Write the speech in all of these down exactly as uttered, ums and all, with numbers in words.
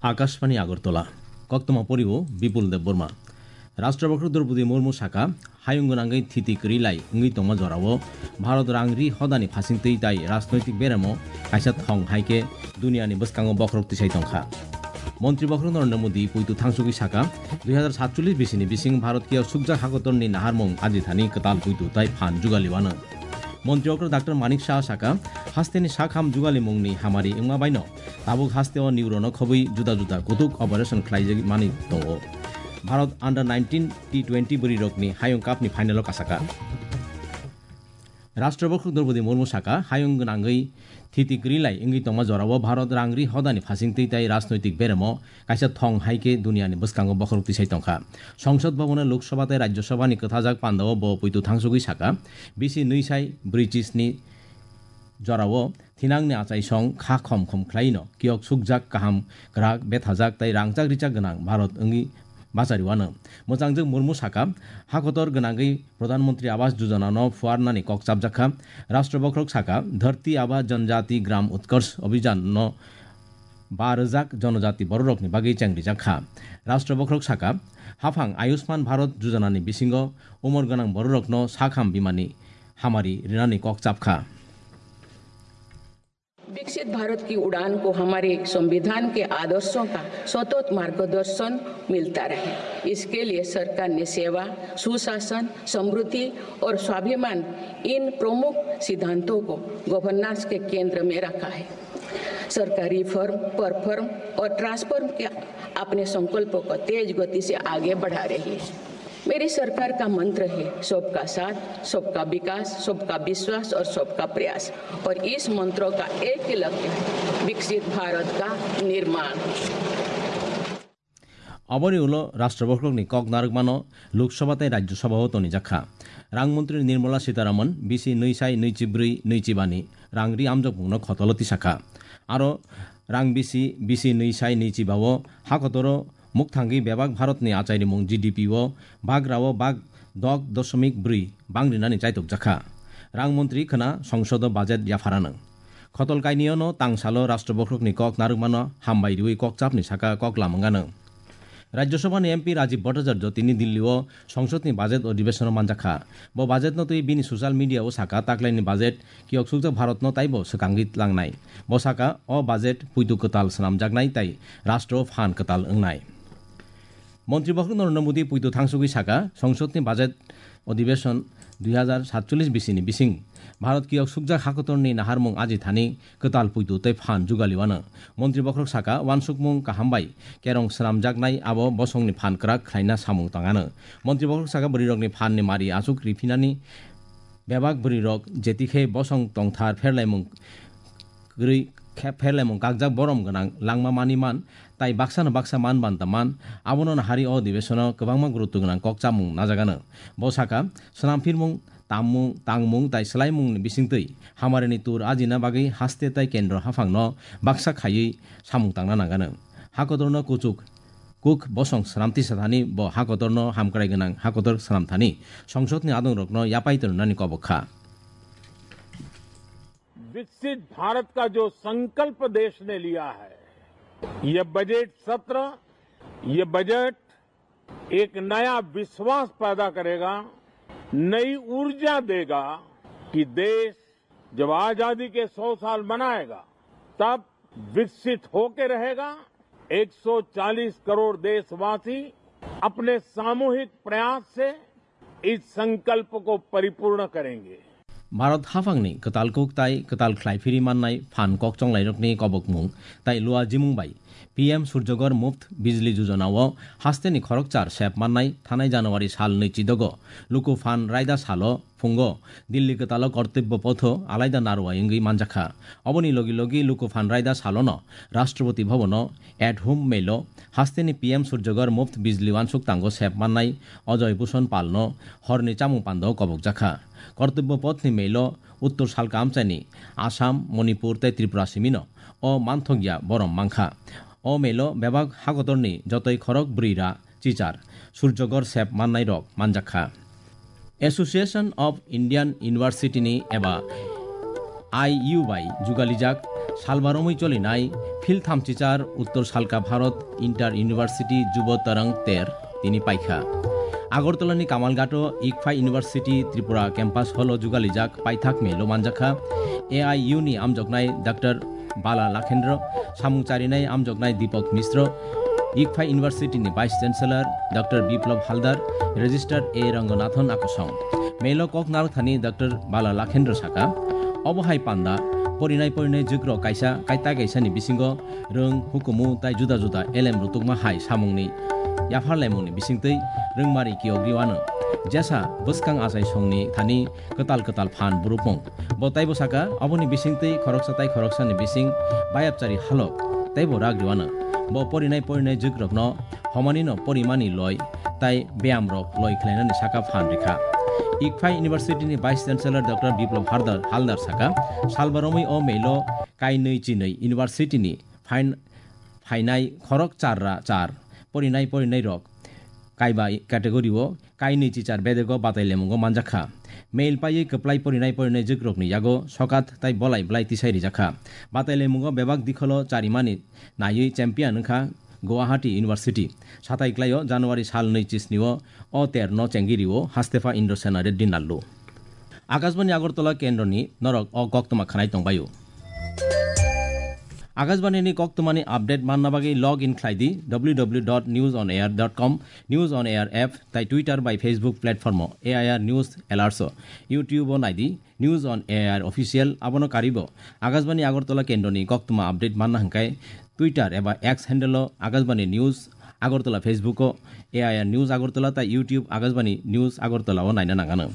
Akashbani Agartala. Koktwma poriwo Bipul Debbarma. Rashtra Bokhorok Droupadi Murmu saka, hayung gwnangwi thiti kwrwi lai wngwi tongma jorao Bharat rang ri hodani phasingtwi tai rajnoitik beremo kaisa thong hai khe duniani bwskango bokhorok tisai tongkha. Montri Bokhorok Narendra Modi puitu thangsugwi saka, dui hazar satchollish bisini bising Bharat kiyok sukjak hakotorni naharmung ajithani kwtal puitu tai phan jugali wano. Montri Bokhorok Doctor Manik Saha saka, hasteni sakham jugalimungni hamari wngma baino tabuk hasteo neuro no khobwi juda juda kutuk operation khlaijak mani tongo. Bharat under nineteen T twenty bwrwi rokni hayung cup ni final o kasaka. Rashtra Bokhorok Droupadi Murmu saka, hayung gwnangwi thiti kwrwi lai wngwi tongma jorao Bharat rang ri hodani phasingtwi tai rajnoitik beremo kaisa thong hai khe duniani bwskango bokhorok tisai tongkha. Songsod Bhavan o Lok Sabha tai Rajya Sabha ni kwthajak pandao bo puitu thangsugwi saka, bisi nwi sai brwi chisni jorao thinangni achaisong kha khom khom khlaino kiyok sukjak kaham kwrak bethajak tai rangchak richak gwnang Bharat wngwi bachari wano. Mwchangjwk Murmu saka, hakotor gwnangwi Pradhan Mantri Awas Yojana no phuarnani kok chapjakha. Rashtra Bokhorok saka, Dharti Aaba Janjati Gram Utkarsh Abhijan no ba rwjak jonojati bororokni bagwi chengrijak kha. Rashtra Bokhorok saka, haphang Ayushman Bharat Yojana ni bisingo umor gwnang bororokno sakham bimani hamari rinani kok chapkha. विकसित भारत की उड़ान को हमारे संविधान के आदर्शों का सतत मार्गदर्शन मिलता रहे, इसके लिए सरकार ने सेवा, सुशासन, समृद्धि और स्वाभिमान, इन प्रमुख सिद्धांतों को गवर्नेंस के केंद्र में रखा है। सरकार रिफॉर्म, परफॉर्म और ट्रांसफॉर्म के अपने संकल्पों को तेज गति से आगे बढ़ा रही है। मेरी सरकार का मंत्र है सबका साथ, सबका विकास, सबका विश्वास और सबका प्रयास। और इस मंत्रों का एक ही लक्ष्य है, विकसित भारत का निर्माण। Aboni ulo Rashtra Bokhorokni kok narwkmano Lok Sabha tei Rajya Sabha o tonijakha. Rang Mantri Nirmala Sitharaman bisi nwi sai nwi chi brwi nwi chi bani rang ri amjokmungno khotolo tisakha. Aro rang bisi, bisi nwi sai nwi chi ba o hakotoro mukthangwi bebak Bharatni achairimung G D P o bagrao bag dok dosomik brwi bangrinani chaitokjakha. Rang Mantri khwna songsodo budget yapharanw. Khotol kainwino tangsalo Rashtra Bokhorokni kok narwkmano hambai riwi kokchapni saka kok lamwngano. Rajya Sabhani M P Rajiv Bhattacharya tini Dilli o Songsodni budget odhibeshono manjakha. Bo budgetno twi bini social media o saka, taklaini budget kiyok sukjak Bharatno taibo swkangwi tlangnai. Bo saka, o budget puitu kwtal swnamjaknai tai rashtra o phan kwtal wngnai. Montri Bokhorok Narendra Modi puitu thangsugwi saka, Songsodni budget odhibeshon dui hazar satchollish bisini bising Bharat kiyok sukjak hakotorni naharmung ajithani kwtal puitu tei phan jugali wano. Montri Bokhorok saka, uansukmung kaham bai kerong swnamjaknai abo bosongni phan kwrak khlaina samung tangano. Montri Bokhorok saka, bwrwirokni phanni mari achuk riphinani bebak bwrwirok jetikhe bosong tongthar pherlaimung kwrwi khe pherlaimung kakjak borom gwnang langma mani man tai baksano baksa man banta man, abono nahari o odhibeshono kwbangma gurutto gwnang kok chamung najagano. Bo saka, swnamphirmung, tammung, tangmung tai swlaimungni bisingtwi hamarini tur ajina bagwi haste tai kendro haphangno baksa khaiwi samung tangna nangano. Hakotorno kuchuk kuk bosong swnam tisa thani bo hakotorno hamkrai gwnang hakotor swnam thani songsodni adongrokno yapai tongnani kobok kha. विकसित भारत का जो संकल्प देश ने लिया है, ये बजट सत्र, ये बजट एक नया विश्वास पैदा करेगा, नई ऊर्जा देगा कि देश जब आजादी के सौ साल मनाएगा, तब विकसित होके रहेगा। एक सौ चालीस करोड़ देशवासी अपने सामूहिक प्रयास से इस संकल्प को परिपूर्ण करेंगे। Bharat haphangni kwtal kuk tai kwtal khlai phiri mannai phan kok chonglairokni kobokmung tai lua jimung bai P M Surjagor Muft Bijli Yojana o hasteni khorokchar sep mannai thanai January sal nwi chidogo luku phan raida salo phungo Dilli kwtalo Kartobya Potho alaida narwai wngwi manjakha. Oboni logi logi luku phan raida salono Rashtrapati Bhavan o at home mail o hasteni P M Surjagor Muft Bijli uansuk tango sep mannai Ajoy Bhushan Palno horni chamung pandao kobokjakha. Kartobya Pothni mail o Uttor salka amchaini Assam, Manipur tei Tripura simino o manthokya borom mankha. O mail o bebak hakotorni jotoi khorok brwi ra chichar Surjagor sep mannairok manjakha. Association of Indian University ni eba I U bai jugalijak salbaromwi cholinai phil thamchichar Uttor Salka Bharat Inter University Jubo Tarang ter tini paikha. Agartala ni Kamalghato Ikphai University Tripura Campus Hall o jugalijak paithak melo manjakha A I U ni amjoknai Doctor Bala Lakhendra, samung charinai amjoknai Deepak Misra, Ikphai University ni Vice Chancellor Doctor Biplab Haldar, Registrar A Ranganathan akosong. Melo kok narwkthani Doctor Bala Lakhendra saka, obo hai panda, porinai porinai jwkrok kaisa kaita kaisa ni bisingo rwng, hukumu tai juda juda elem rutukma hai samungni yapharlaimungni bisingtwi rwngmari kiyogwi wano. Jesa bwskang achai songni thani kwtal kwtal phan burupung. Bo taibo saka, oboni bisingtwi khoroksa tai khoroksani bising bayapchari halok teibo rak riwano. Bo porinai porinai jwkrokno homanino porimani loi tai beyamrok loi khlainani saka phan rikha. Ikphai University ni Vice Chancellor Doctor Biplab Hardar, Haldar saka, salbaromwi o melo kainwi chinwi University ni phain-, phainai khorok charra char porinai porinai rok kaiba category o kainwi chichar bedego batai lemungo manjakha. Mail paiwi kwplai porinai porinai jwkrokni yago sokat tai bolai blai tisai rijakha. Batai lemungo bebak dikholo charimani naiwi champion wngkha Guwahati University. Satai klaio January sal nwi chisni o o ter no chengiri o Hastefa Indrasena Reddy Nallu. Akashbani Agartala kendroni norok o koktwma khanai tongbaio. Akashbani ni koktwmani update manna bagwi log in khlai di w w w dot news on air dot com, News on Air app tai Twitter bai Facebook platform o A I R News Alerts o, YouTube o nai di News on A I R Official, abono karibo Akashbani Agartala kendroni koktwma update manna hwnkhe Twitter eba X handle o Akashbani News Agartala, Facebook o A I R News Agartala tai YouTube Akashbani News Agartala o naina nangano.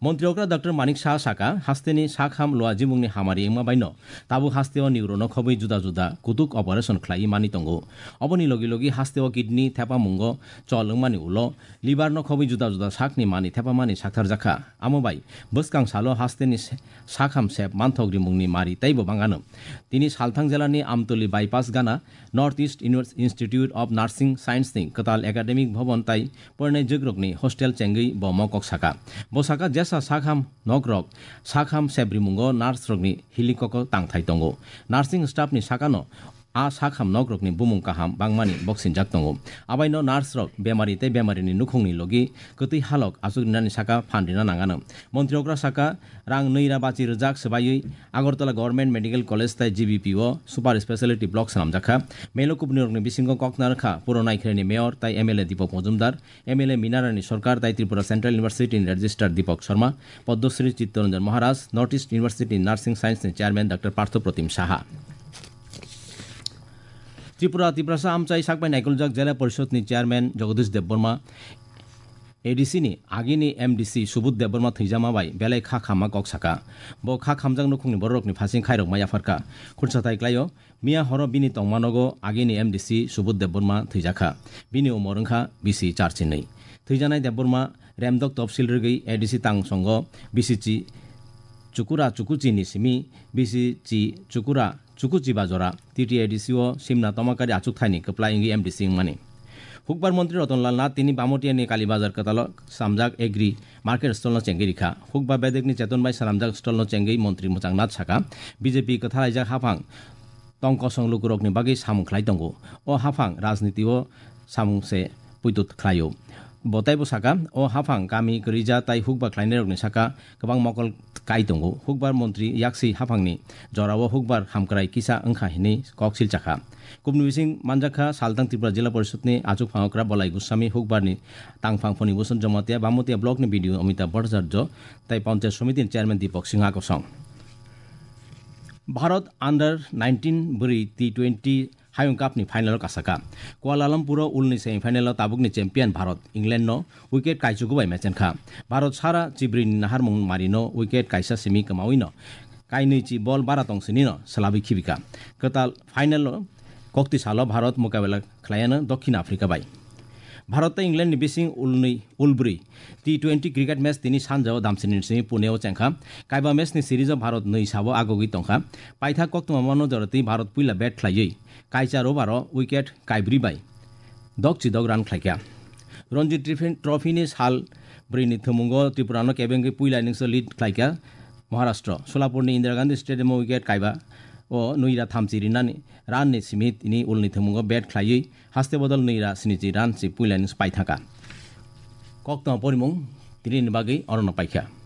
Montri okra Doctor Manik Saha saka, hasteni sakham lua jimungni hamari wngma baino tabuk hasteo niurono khobwi juda juda kutuk operation khlaiwi mani tongo. Oboni logi logi hasteo kidney thepamungo chol wngmani ulo liver no khobwi juda juda sakni mani thepamani saktharjakha. Amo bai bwskang salo hasteni se-, sakham sep manthok rimungni mari teibo bangano. Tini Salthang jelani Amtoli bypass gana North East Univers-, Institute of Nursing Science ni kwtal academic bhaban tai porinai jwkrokni hostel chengwi bo mokok saka. Bo saka jesa sakham nokrok sakham sebrimungo nurse rokni hilikoko tangthai tongo. Nursing staff ni sakano a sakham nokrokni bumung kaham bangmani boksinjak tongo. Abaino nurse rok bemari tei bemarini nukhungni logi kwtwi halok achuk rinani saka phan rina nangano. Montri okra saka, rang nwi ra bachi rwjak swbaiwi Agartala Government Medical College tai G B P o super speciality block swnamjakha. Melo kubunirokni bisingo kok narwkha Puro Naikhreni Mayor tai M L A Deepak Majumdar, M L A Minarani Sarkar tai Tripura Central University ni Registrar Deepak Sharma, Padmasri Chittaranjan Maharaj, North East University Nursing Science ni Chairman Doctor Partho Protim Saha. Tripura Tiprasa Amchai Sakbai Naikoljak Jela Porishod ni Chairman Jagadish Debbarma, A D C ni agini M D C Subodh Debbarma thwijama bai belai kha khamma kok saka. Bo kha khamjak nukhungni bororokni phasing khairokma yapharkha. Khursa thai klaio, miya horo bini tongmanogo agini M D C Subodh Debbarma thwijakha. Bini umor wngkha bisi charchinwi. Thwijanai Debbarma Remdok Topsil rwgwi A D C tang songo bisi chi chukura chukuchi ni simi bisi chi chukura chukuchi bajora T T A D C o simna tomakari achuk thaini kwplai wngwi M D C wngmani. Hukbar Montri Rotonlal Nath tini Bamotiani Kali Bazar kwtalo samjak Agri Market Stall no chengwi rikha. Hukba bedekni cheton bai swnamjak stall no chengwi Montri Mwchang Nath saka, B J P kwthalaijak haphang tong kosong lukurokni bagwi samung khlai tongo. O haphang rajniti o samung se puitut khlaio. Bo teibo saka, o haphang kami kwrwija tai hukba khlainairokni saka kwbang mokol kai tongo. Hukbar montri yaksi haphangni jorao hukbar hamkrai kisa wngkha hinwi kok silchakha. Kubni bising manjakha Saltang Tripura Jila Porishod ni achuk phangokra Bolai Goswami, hukbarni tangphang phoni Bhusan Jamatia, Bamotia block ni B D O Amitabh Bhattacharya tai Panchayat Samiti ni Chairman Deepak Singha kosong. Bharat under nineteen bwrwi T twenty Hayung Cup ni final o kasaka. Kuala Lumpur o ulni semi final o tabukni champion Bharat England no wicket kaichugo bai mechenkha. Bharat sara chibri ni naharmung mari no wicket kaisa simi kwmawi no kainwi chi bol bara tong sini no swlabwi khibika. Kwtal final o kokti salo Bharat mukabela khlaiano Dokhin Africa bai. Bharat tei England ni bising ulnwi ulbrwi T twenty cricket match tini sanjao damsini simi Pune o chengkha. Kaiba match ni series o Bharat nwi sabo agogwi tongkha. Paithak koktwma mano jorotwi Bharat puila bat khlaiwi kaichar over o wicket kaibrwi bai dokchi dok run khlaikha. Ranji Trophy, Trophy ni sal Bwrwini thwngmungo Tripurano kebengwi puila innings-o lead khlaikha Maharashtra. Solapurni Indira Gandhi Stadium-o wicket kaiba o nwira thamchi rinani run-ni simi tini ulni thwngmungo bat khlaiwi haste bodol nwira sinichi run si puila innings paithangkha. Koktwma porimung tinini bagwi orono paikha.